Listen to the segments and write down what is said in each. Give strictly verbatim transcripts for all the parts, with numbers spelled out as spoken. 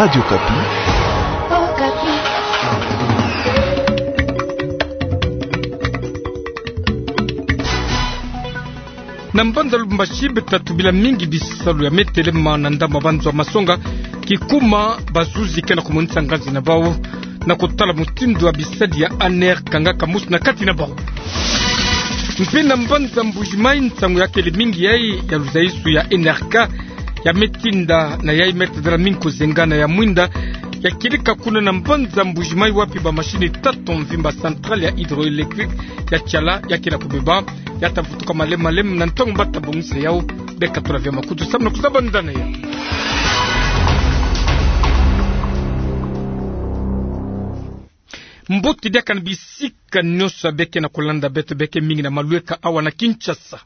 Radio Okapi. Na mbanza Lubumbashi, beto tubila mingi bisalu ya me telema na ndambu ya banzo ya masonga, kikuma bazuzi ke na kumonisa nganzi na bau na kutala mutindu ya bisadi ya ANR kanga kamusu na kati na bau. Mpe na mbanza Mbuji-Mayi, nsangu ya kele mingi yai ya luzaisu ya N R K ya me tinda na yai me tadala mingi kuzenga na ya mwinda. Ya kieleka kuna na mbanza Mbuji-Mayi, wapi ba machine tatu mvimba, centrale ya hydroélectrique ya Tshala ya ke na kubeba, ya ta vutuka malembe malembe na ntangu ba ta bongisa yau. Beka tula vya makutu samu na kuzaba ndani ya mbote diaka na bisika nyonso ya be ke na kulanda beto, be ke mingi na malweka awa na Kinshasa.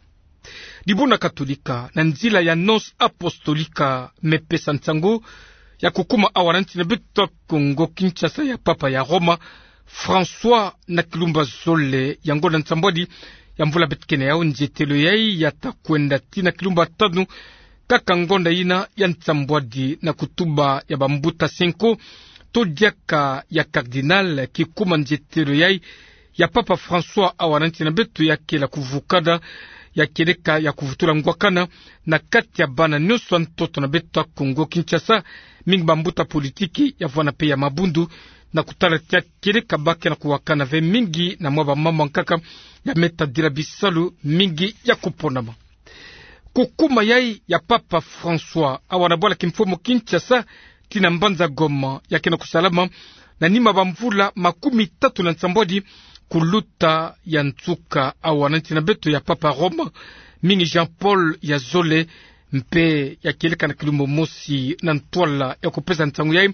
Dibundu katolika, na nzila ya Annonce Apostolique, me pesa nsangu ya kukuma awa na nsi na beto Kongo Kinshasa ya Papa ya Roma François na kilumbu ya zole ya ngonda nsambwadi ya mvula beto ke na yau. Nzietelo yai ya ta kwenda tii na kilumbu ya tanu, kaka ngonda yina ya nsambwadi, na kutuba ya bambuta Cenco, to diaka ya cardinal, kikuma nzietelo yai ya Papa François awa na nsi na beto ya kele kuvukana, ya kieleka ya kuvutula ngwakana na kati ya bana nyonso ya ntoto na beto ya Kongo Kinshasa, mingi bambuta politiki, ya vwanda mpe ya mabundu, na kutala ti ya kieleka ba ke na kuwakana ve mingi na mwa bamama nkaka ya me tadila bisalu mingi ya kuponama. Kukuma yai ya Papa François awa na bwala kimfumu Kinshasa tii na mbanza Goma ya ke na kusalama na nima bamvula makumi tatu na nsambwadi kuluta ya nsuka awa na nsi na beto ya Papa Roma, mingi Jean-Paul ya zole, mpe ya kieleka na kilumbu mosi na ntwala ya kupesa nsangu yai,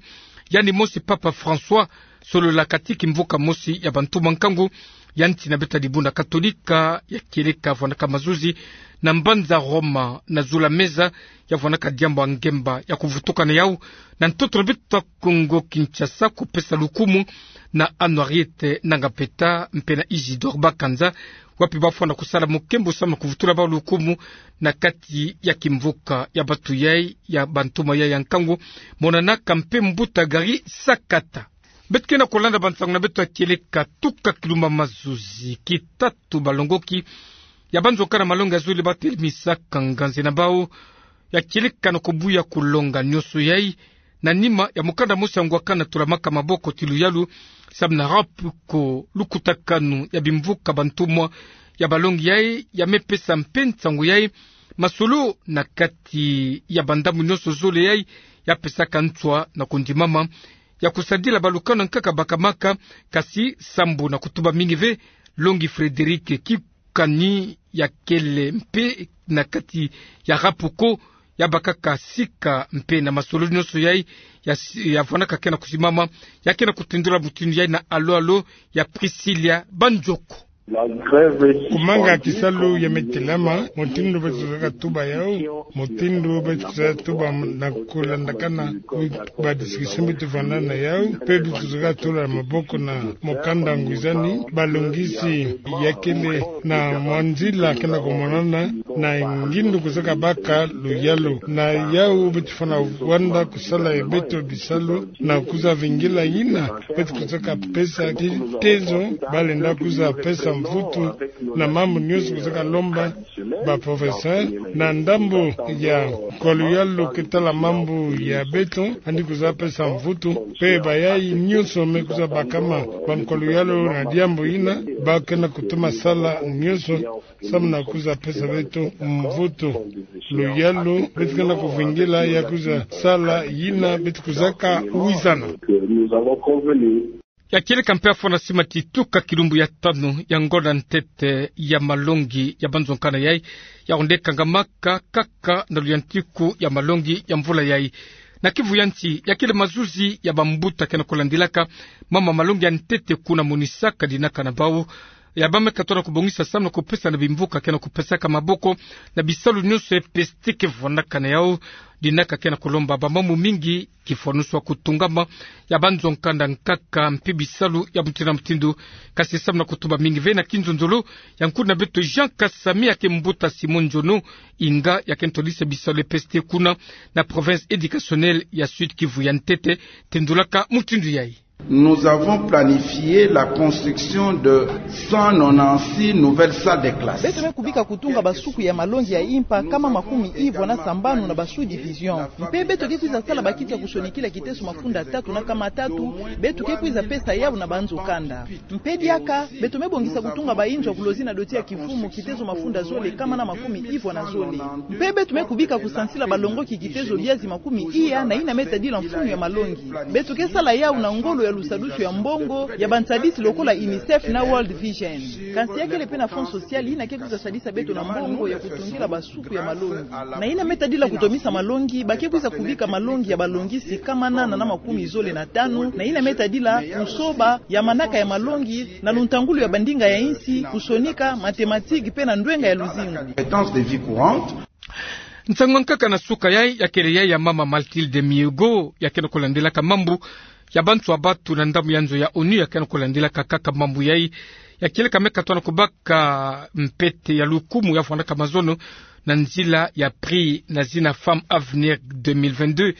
yandi mosi Papa François, solola kati kimvuka mosi ya bantumwa nkangu ya nsi na beto ya dibundu katolika, ya kieleka vwandaka mazuzi na mbanza Roma, na zula meza ya vwandaka diambu ya ngemba ya kuvutuka na yau na ntoto na beto ya Kongo Kinshasa, kupesa lukumu na Anne-Henriette Nanga Peta mpe na Isidore Bakanza, wapi ba fwana kusala mukembo samu na kuvutula bau lukumu na kati ya kimvuka ya bantu yai, ya bantumwa yai ya nkangu, monanaka mpe mbuta Gary Sakata. Beto ke na kulanda bansangu na beto ya kieleka tuka kilumbu ya mazuzi, kitatu balongoki ya banzokana malongi ya zole ba telemisaka nganzi na bau, ya kieleka na kubuya kulonga nyonso yai na nima ya mukanda mosi ya ngwakana tolamaka maboko ti luyalu samu na RAPCO, lukutakanu ya bimvuka bantumwa. Ya balongi yai ya me pesa mpe nsangu yai, masolo na kati ya bandambu nyonso zole yai ya pesaka nswa na kundimama ya kusadila balukanu nkaka bakamaka, kasi sambu na kutuba mingi ve, longi Frédéric Kikani ya kele mpe na kati ya RAPCO, ya bakaka sika mpe na masolo nyonso yai ya si-, ya vwandaka ke na kusimama, ya ke na kutendula mutindu yai na alo-alo ya Priscilla Banzoko. Kumanga kisalu ya me telama, mutindu beto kuzaka tuba yau, mutindu beto kuzaka tuba na kulandakana ba discussion beto fwana na yau, mpe beto kuzaka tula maboko na mukanda ngwizani, balongisi ya kele na mwa nzila ke na kumonana, na ngindu kuzaka baka luyalu. Na yau beto fwana vwanda kusala ya beto bisalu na kuza vingila yina beto kuzaka pesa ti tezo, ba lenda kuza pesa mvutu na mambu nyonso kuzaka lomba ba professeur, na ndambu ya nkwa luyalu ke tala mambu ya beto, yandi kuza pesa mvutu, mpe bayai nyonso me kuza bakama ba nkwa luyalu na diambu yina, ba ke na kutuma sala nyonso samu na kuza pesa beto mvutu. Luyalu, beto ke na kuvingila ya kuza sala yina beto kuzaka wizana. Ya kieleka mpe ya fwana sima ti tuka kilumbu ya tanu ya ngonda ntete ya malongi ya banzokana yai, ya onde kangamaka kaka na luyantiku ya malongi ya mvula yai. Na kivu ya nsi, ya kele mazuzi ya bambuta ke na kulandilaka mama malongi ya ntete kuna monisaka dinaka na bau ya bameka tona kubongisa samu na kupesa na bimvuka ke na kupesaka maboko na bisalu nyonso ya peste ke vwandaka na yau. Dinaka ke na kulomba bamambu mingi kifwanusu ya kutungama ya banzo nkanda nkaka mpe bisalu ya mutindu na mutindu. Kasi samu na kutuba mingi ve na kinzonzolo ya nkuna beto Jean Kasami, ya ke mbuta Simon Njono, inga ya ke ntolisa bisalu ya peste kuna na province éducationnelle ya Sud-Kivu ya ntete, tendulaka mutindu yai. Nous avons planifié la construction de cent nonante-six nouvelles salles de classe. Beto me kubika kutunga basuku ya malongi ya impa kama makumi ivwa na sambanu na ba sous-division. Mpe beto ke kwiza sala bakiti ya kusonikila kiteso mafunda tatu na kama tatu, beto ke kwiza pesa yau na banzo kanda. Mpe diaka, beto me bongisa kutunga bainzo ya kulozi na doti ya kivumu kiteso mafunda zole kama na makumi ivwa na zole. Mpe beto me kubika kusansila balongoki kiteso biazi makumi iya na ina me tadila mfunu ya malongi. Beto ke sala yau na ngolo ya lusadusu ya mbongo ya bansadisi lokola UNICEF na World Vision. Kansi ya kele mpe na Fonds Social ina ke kwiza sadisa beto na mbongo ya kutungila basuku ya malongi. Na ina me tadila kutomisa malongi, ba ke kwiza kubika malongi ya balongisi kama nana na makumi zole na tanu, na ina me tadila kusoba ya manaka ya malongi na luntangulu ya bandinga ya insi, kusonika, mathématiques mpe na ndwenga ya luzingu. Compétences de vie courante. Nsangu ya nkaka na suka yai ya kele yai ya mama Mathilde Mihigo, ya ke na kulandilaka mambu ya banswa batu na ndambu ya nzo ya ONU, ya ke na kulandilaka kaka mambu yai. Ya kieleka meka tona kubaka mpete ya lukumu ya vwandaka mazono na nzila ya prix na zina Femme Avenir deux mille vingt-deux.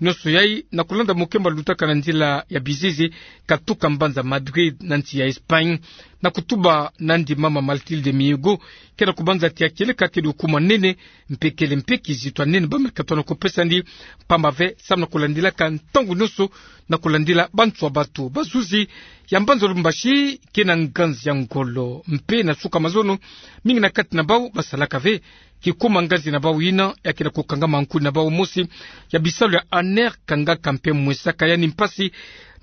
Nyonso yai na kulanda mukemba lutaka na nzila ya bizizi katuka mbanza Madrid na nsi ya Espagne. Na kutuba nandi, mama Mathilde Mihigo ke na kubanza ti ya kieleka kele lukumu ya nene, mpe kele mpe kizito ya nene bameka tona kupesa ndi, mpamba ve samu na kulandilaka ntangu nyonso na kulandila banswa batu. Bazuzi ya mbanza Lubumbashi ke na nganzi ya ngolo mpe na suka mazono, mingi na kati na bau basalaka ve kikuma nganzi na bau ina ya ke na kukangama nkuni na bau mosi ya bisalu ya ANR kangaka mpe mwesaka yandi mpasi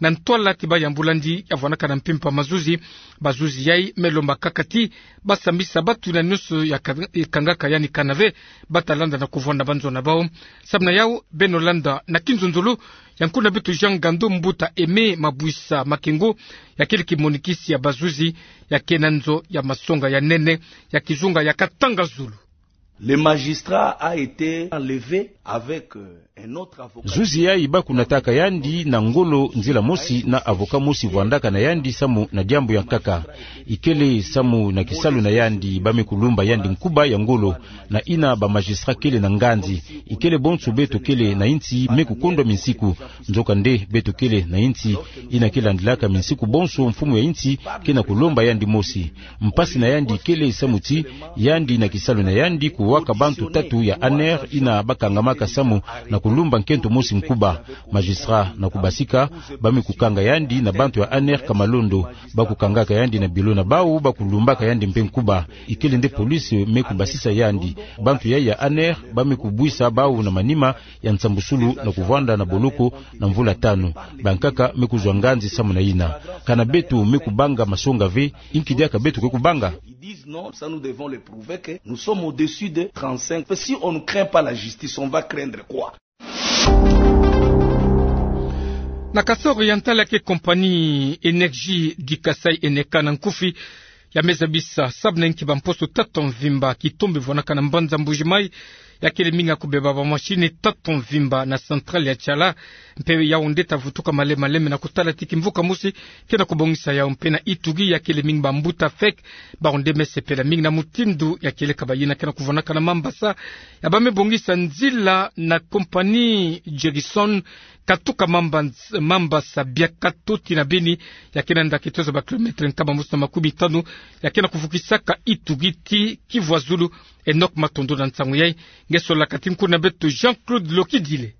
na ntwala ti bayambula ndi ya vwandaka na mpimpa mazuzi. Bazuzi yai me lomba kaka ti basambisa batu na nyonso ya ka-, kangaka yandi kana ve bata landa na kuvwanda banzo na bau. Samu na yau beno landa na kinzonzolo ya nkuna beto Jean Ngandu, mbuta Aimé Mabwisa Makengo, ya kele kimonikisi ya bazuzi, ya ke na nzo ya masonga ya nene ya kizunga ya Katanga Zulu. Le magistrat a été enlevé avec, euh, un autre avocat. Zuzi yai bakunataka yandi na ngolo nzila mosi na avocat mosi vwandaka na yandi samu na diambu ya nkaka. Ikele samu na kisalu na yandi ba me kulumba yandi nkuba ya ngolo, na ina ba magistrat kele na nganzi. Ikele bonso beto kele na insi me kukondwa minsiku. Nzokande beto kele na insi ina ke landilaka minsiku bonso mfumu ya insi ke na kulomba yandi mosi. Mpasi na yandi kele samu ti yandi na kisalu na yandi kuwaka bantu tatu ya ANR ina bakangamaka samu na kulumba nkento mosi nkuba. Magistrat na kubasika, ba me kukanga yandi na bantu ya ANR Kamalondo. Bakukangaka yandi na bureau na bau, bakulumbaka yandi mpe nkuba. Ikele nde police me kubasisa yandi. Bantu yai ya ANR ba me kubwisa bau na manima ya nsambusulu na kuvwanda na boloko na mvula tanu. Bankaka me kuzwa nganzi samu na ina. Kana beto me kubanga masonga ve, inki diaka beto ke kubanga? Ils disent non, ça nous devons le prouver que nous sommes au-dessus de trente-cinq. Si on ne craint pas la justice, on va craindre quoi? Na Kasaï Oriental, ya ke compagnie Énergie du Kasaï, ENECA na nkufi, ya me zabisa sabu na inki bamposo tatu mvimba kitombe vwanaka na mbanza Mbuji-Mayi, ya kele mingi ya kubeba bamachine tatu mvimba na centrale ya Tshala. Mpe yau nde ta vutuka malembe malembe na kutala ti kimvuka mosi ke na kubongisa yau. Mpe na Ituri, ya kele mingi bambuta feke, bau nde me sepela mingi na mutindu ya kieleka ba yina ke na kuvwanaka na mambasa ya ba me bongisa nzila na compagnie Gerson, katuka mambas-, mambasa Biakato tii na Beni, ya ke na nda kitozo ba kilomètre nkama mosi na makumi tanu, ya ke na kuvukisaka Ituri tii Kivu ya Zulu. Enoch Matondo na nsangu yai. Nge solaka ti nkuna beto Jean-Claude Lokidile.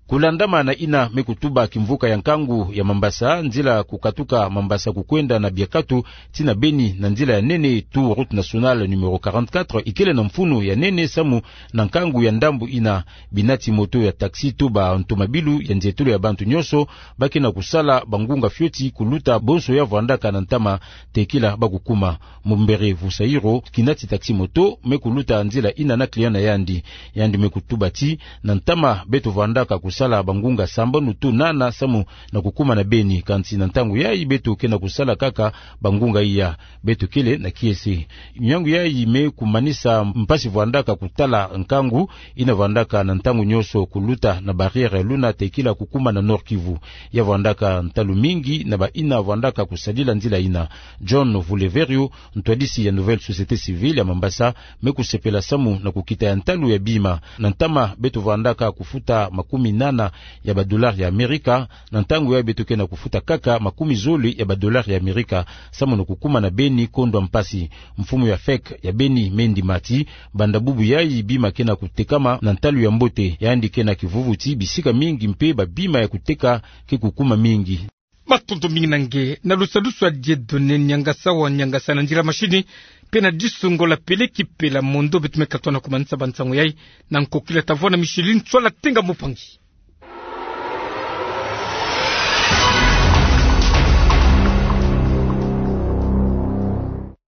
Kulandama na ina me kutuba kimvuka ya nkangu ya mambasa, nzila kukatuka mambasa kukwenda na Biakato tii na Beni na nzila ya nene, tout route nationale numéro quarante-quatre, ikele na mfunu ya nene samu na nkangu ya ndambu ina. Binati moto ya taxi to bantomabilu ya nzietolo ya bantu nyonso ba ke na kusala bangunga fioti kuluta bonso ya vwandaka na ntama tekila ba kukuma. Mumbere Vusairo, kinati taxi moto, me kuluta nzila ina na client na yandi. Yandi me kutuba ti na ntama beto vwandaka kus- sala bangunga sambanu to nana samu na kukuma na beni. Kansi na ntangu yayi beto ke na kusala kaka bangunga iya, beto kele na kiese. Miangu yayi me kumanisa mpasi vwandaka kutala nkangu ina vwandaka na ntangu nionso kuluta na barrière ya luna tekila kukuma na Nord-Kivu. Ya vwandaka ntalu mingi na ba ina vwandaka kusadila nzila ina. John Vuleverio, ntwadisi ya Nouvelle Société Civile ya Mambasa, me kusepela samu na kukita ya ntalu ya bima. Na ntama beto vwandaka kufuta makumi nana ya ba dollars ya Amerika, na ntangu yayi beto ke na kufuta kaka makumi zole ya ba dollars ya Amerika samu na kukuma na beni kondwa mpasi. Mfumu ya FEC ya beni, Mendy Mathy, banda bubu yayi bima ke na kutekama na ntalu ya mbote, yandi ke na kivuvuti bisika mingi mpe ba bima ya kuteka ke kukuma mingi. Matondo mingi na nge. Na lusadusu ya Dieudonné Niangasa wa Niangasa na nzila mashini, mpe na disu Ngola Peleki Pela Mondo, beto me katuka na kumanisa ba nsangu yayi. Na nkokila tavwa na Micheline Tswala Tenga Mupangi.